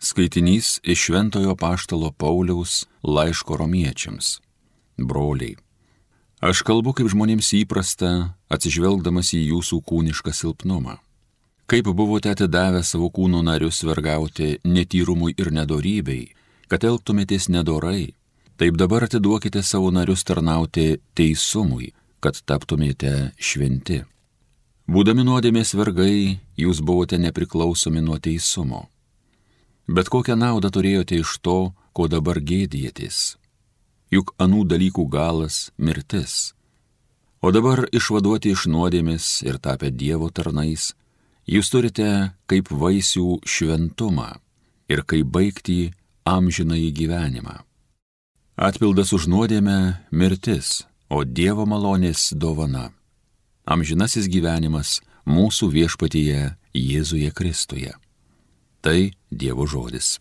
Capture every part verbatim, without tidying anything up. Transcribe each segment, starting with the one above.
Skaitinys iš Šventojo apaštalo Pauliaus laiško romiečiams. Broliai, aš kalbu kaip žmonėms įprasta, atsižvelgdamas į jūsų kūnišką silpnumą. Kaip buvote atidavę savo kūno narius vergauti netyrumui ir nedorybei, kad elgtumėtės nedorai, taip dabar atiduokite savo narius tarnauti teisumui, kad taptumėte šventi. Būdami nuodėmės vergai, jūs buvote nepriklausomi nuo teisumo. Bet kokią naudą turėjote iš to, ko dabar gėdijatės? Juk anų dalykų galas – mirtis. O dabar išvaduoti iš nuodėmės ir tapę Dievo tarnais, jūs turite kaip vaisių šventumą ir kaip baigtį amžinąjį gyvenimą. Atpildas už nuodėmę – mirtis, o Dievo malonės dovana. Amžinasis gyvenimas mūsų viešpatyje Jėzuje Kristuje. Tai Dievo žodis.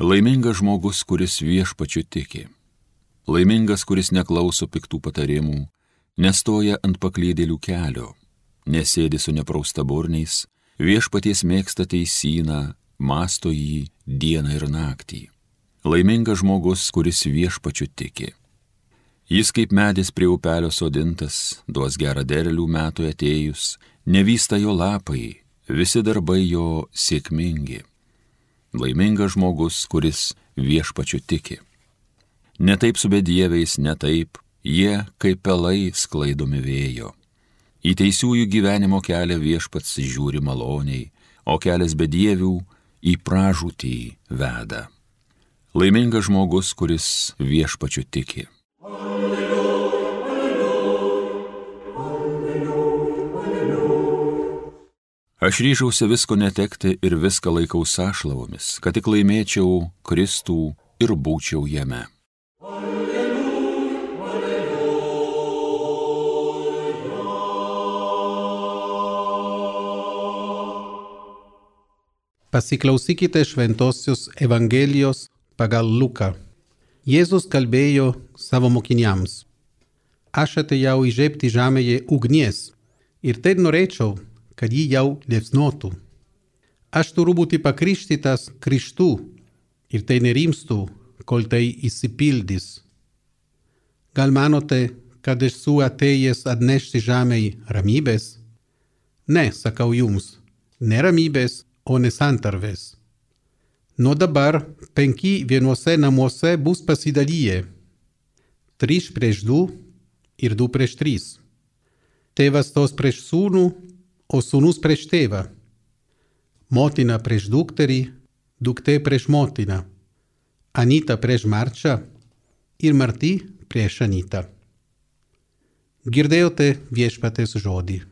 Laimingas žmogus, kuris viešpačiu tiki. Laimingas, kuris neklauso piktų patarimų, nestoja ant paklydėlių kelio, nesėdi su nepraustaburniais, viešpaties mėgsta teisyną, mąsto jį dieną ir naktį. Laimingas žmogus, kuris viešpačiu tiki. Jis kaip medis prie upelio sodintas, duos gerą derlių metui atėjus, nevysta jo lapai, visi darbai jo sėkmingi. Laimingas žmogus, kuris viešpačiu tiki. Ne taip su bedieviais, ne taip, jie kaip pelai sklaidomi vėjo. Į teisiųjų gyvenimo kelią viešpats žiūri maloniai, o kelias bedievių į pražūtį veda. Laimingas žmogus, kuris viešpačiu tiki. Alleluja, alleluja, alleluja, alleluja. Aš ryžausi visko netekti ir viską laikau sąšlavomis, kad tik laimėčiau Kristų ir būčiau jame. Pasiklausykite šventosios Evangelijos pagal Luką. Jėzus kalbėjo savo mokiniams. Aš atėjau įžiebti žemėje ugnies ir tai norėčiau, kad ji jau liepsnotų. Aš turiu būti pakrikštytas Krikštu ir tai nerimstu, kol tai įsipildys. Gal manote, kad esu atėjęs atnešti žemei ramybės? Ne, sakau jums, ne ramybės, o ne santarvės. Nuo dabar penki vienuose namuose bus pasidalyję. Trys prieš du ir du prieš tris. Tėvas stos prieš sūnų, o sūnus prieš tėvą. Motina prieš dukterį, duktė prieš motiną. Anyta prieš Marčią ir Marti prieš Anytą. Girdėjote viešpaties žodį.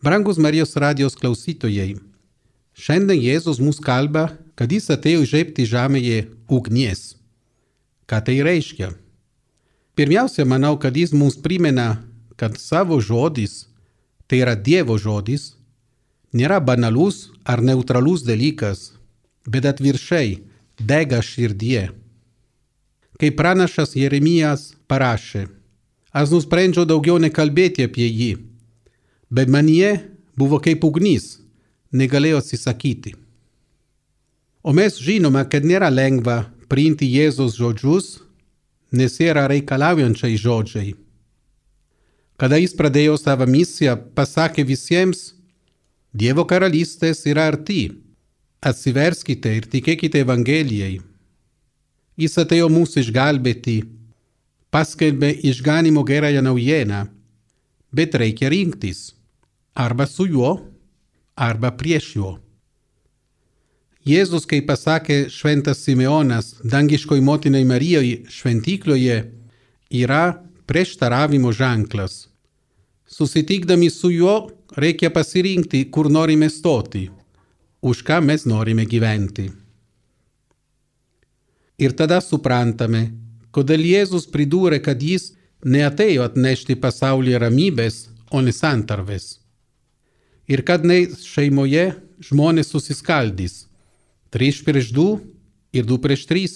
Brangus Marijos radijos klausytojai, šiandien Jėzus mus kalba, kad jis atėjo įžiebti žemėje ugnies. Ką tai reiškia? Pirmiausia, manau, kad jis mums primena, kad savo žodis, tai yra Dievo žodis, nėra banalus ar neutralus dalykas, bet atvirkščiai dega širdie. Kaip pranašas Jeremijas parašė, aš nusprendžiau daugiau nekalbėti apie jį, bet manyje buvo kaip ugnis, negalėjo atsisakyti. O mes žinome, kad nėra lengva priimti Jėzus žodžius, nes yra reikalaujančiai žodžiai. Kada jis pradėjo savo misiją, pasakė visiems, Dievo karalystės yra arti, atsiverskite ir tikėkite Evangelijai. Jis atėjo mūsų išgelbėti, paskelbė išganymo gerąją naujieną, bet reikia rinktis. Arba su juo, arba prieš juo. Jėzus, kaip pasakė šventas Simeonas dangiškoj motinai Marijai šventykloje, yra prieštaravimo ženklas. Susitikdami su juo reikia pasirinkti, kur norime stoti. už ką mes norime gyventi. Ir tada suprantame, kodėl Jėzus pridūrė, kad jis neatėjo atnešti pasaulyje ramybės, o ne santarvės. Ir kad ne šeimoje žmonės susiskaldys. Trys prieš du ir du prieš tris.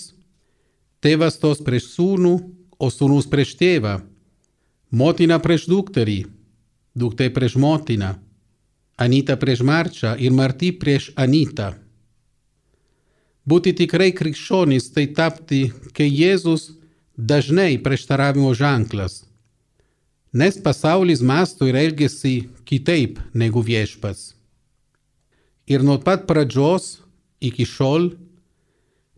Tėvas stos prieš sūnų, o sūnus prieš tėvą. Motina prieš dukterį, duktė prieš motiną. Anyta prieš Marčią ir Marti prieš Anytą. Būti tikrai krikščionys tai tapti, kai Jėzus dažnai prieštaravimo ženklas. Nes pasaulis mąsto ir elgiasi kitaip negu viešpats. Ir nuo pat pradžios iki šiol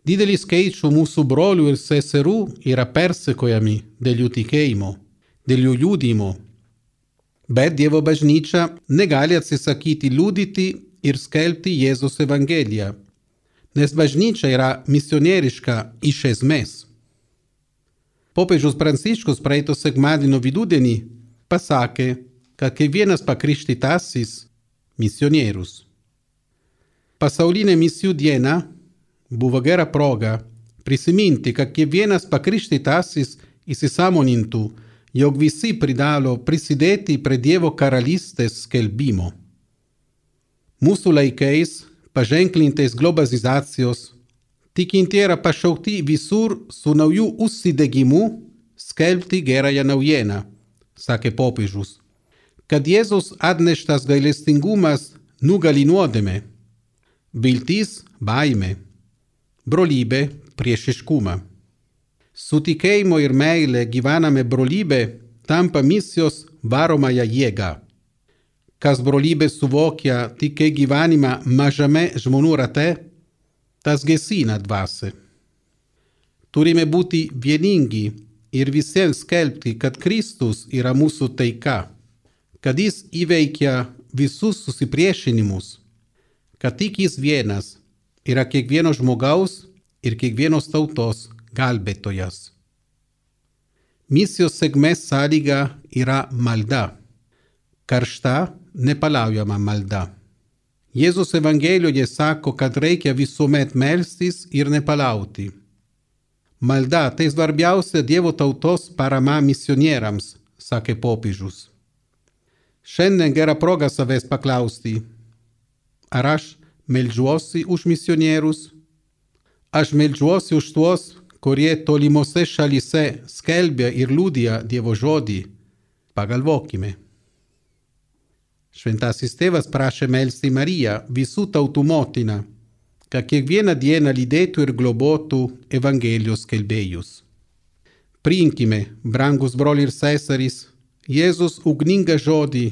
didelis skaičių mūsų brolių ir seserų yra persekojami dėl jų tikėjimo, dėl jų liudijimo. Bet Dievo bažnyčia negali atsisakyti liudyti ir skelbti Jėzaus Evangeliją, nes bažnyčia yra misionieriška iš esmės. Popiežius Pranciškus praeito sekmadienio vidudienį pasakė, kad kiekvienas pakrikštytasis misionierius. Pasaulinė misijų diena buvo gera proga prisiminti, kad kiekvienas pakrikštytasis įsisąmonintų, jog visi privalo prisidėti prie Dievo karalystės skelbimo. Mūsų laikais, paženklintais globalizacijos, tikintieji yra pašaukti visur su nauju užsidegimu skelbti gerąją naujieną, sakė popiežius, kad Jėzus atneštas gailestingumas nugali nuodėmę, viltis baimė, brolybė priešiškumą. Su tikėjimo ir meile gyvename brolybė tampa misijos varomąją jėgą. Kas brolybę suvokia tik kaip gyvenimą mažame žmonių rate, tas gesina dvasią. Turime būti vieningi ir visiems skelbti, kad Kristus yra mūsų taika, kad jis įveikia visus susipriešinimus, kad tik jis vienas yra kiekvieno žmogaus ir kiekvienos tautos gelbėtojas. Misijos sėkmės sąlyga yra malda, karšta, nepaliaujama malda. Jėzus Evangelijoje sako, kad reikia visuomet melstis ir nepaliauti. Malda tai svarbiausia Dievo tautos parama misionieriams, sakė popiežius. Šiandien gera proga savęs paklausti, ar aš meldžiuosi už misionierius? Aš meldžiuosi už tuos, kurie tolimose šalyse skelbia ir liudija Dievo žodį. Pagalvokime. Šventasis tėvas prašė melsti Mariją, visų tautų motiną, kad kiekvieną dieną lydėtų ir globotų Evangelijos skelbėjus. Priimkime, brangus broliai ir seserys, Jėzus ugningą žodį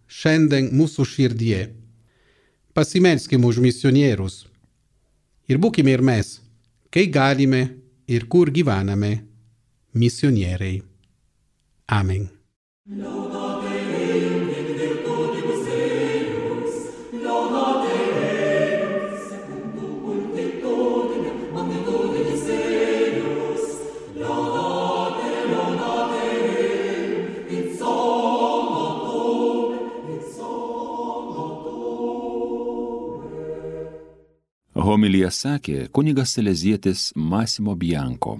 šiandien mūsų širdie. Pasimelskime už misionierius. Ir būkime ir mes, kai galime ir kur gyvename, misionieriai. Amen. Homiliją sakė kunigas salezietis Massimo Bianco.